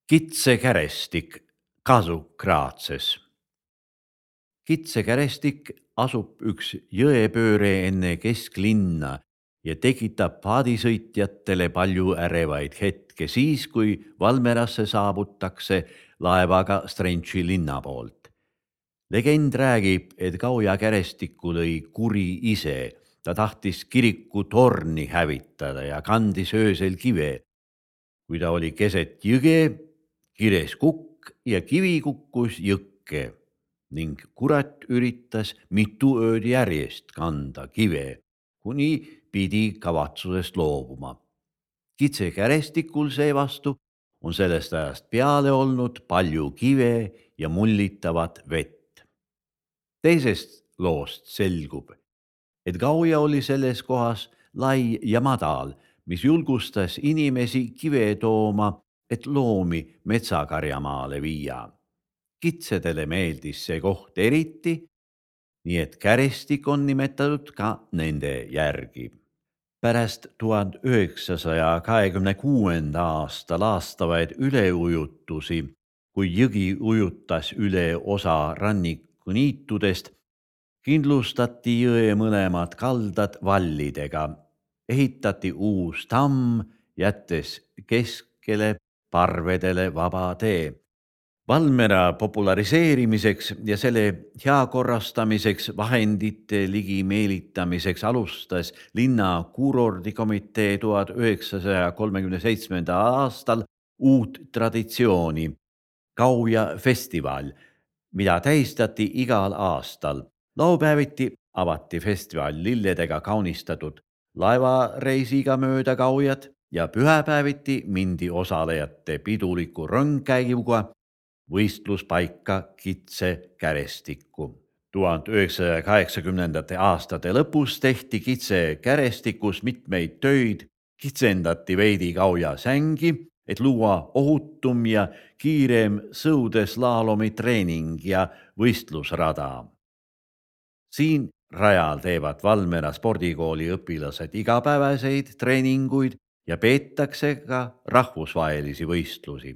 Kitsekärestik Kasukraatses. Kitsekärestik asub üks jõepööre enne kesklinna ja tekitab paadisõitjatele palju ärevaid hetke siis, kui Valmerasse saabutakse laevaga Strentši linna poolt. Legend räägib, et Gauja kärestikku lõi kuri ise. Ta tahtis kiriku torni hävitada ja kandis öösel kive. Kui ta oli keset jõge, kires kukk ja kivi kukkus jõkke ning kurat üritas mitu ööd järjest kanda kive, kuni pidi kavatsusest loobuma. Kitsekärestikul seevastu on sellest ajast peale olnud palju kive ja mullitavat vett. Teisest loost selgub, et Gauja oli selles kohas lai ja madal, mis julgustas inimesi kive tooma, et loomi metsakarjamaale viia. Kitsedele meeldis see koht eriti, nii et kärestik on nimetatud ka nende järgi. Pärast 1926. aasta laastavaid üleujutusi, kui jõgi ujutas üle osa rannikuniitudest, kindlustati jõe mõlemad kaldad vallidega, ehitati uus tamm, jättes keskele parvedele vaba tee. Valmera populariseerimiseks ja selle heakorrastamiseks vahendite ligi meelitamiseks alustas linna kuurordikomitee 1937. aastal uut traditsiooni, Gauja festival, mida tähistati igal aastal. Laupäeviti avati festival lilledega kaunistatud laevareisiga mööda Gaujat ja pühapäeviti mindi osalejate piduliku rõngkäiguga võistluspaika Kitsekärestikku. 1980. aastate lõpus tehti Kitsekärestikus mitmeid töid, kitsendati veidi Gauja sängi, et luua ohutum ja kiirem sõudeslaalomi treening ja võistlusrada. Siin rajal teevad Valmera spordikooli õpilased igapäevaseid treeninguid ja peetakse ka rahvusvahelisi võistlusi.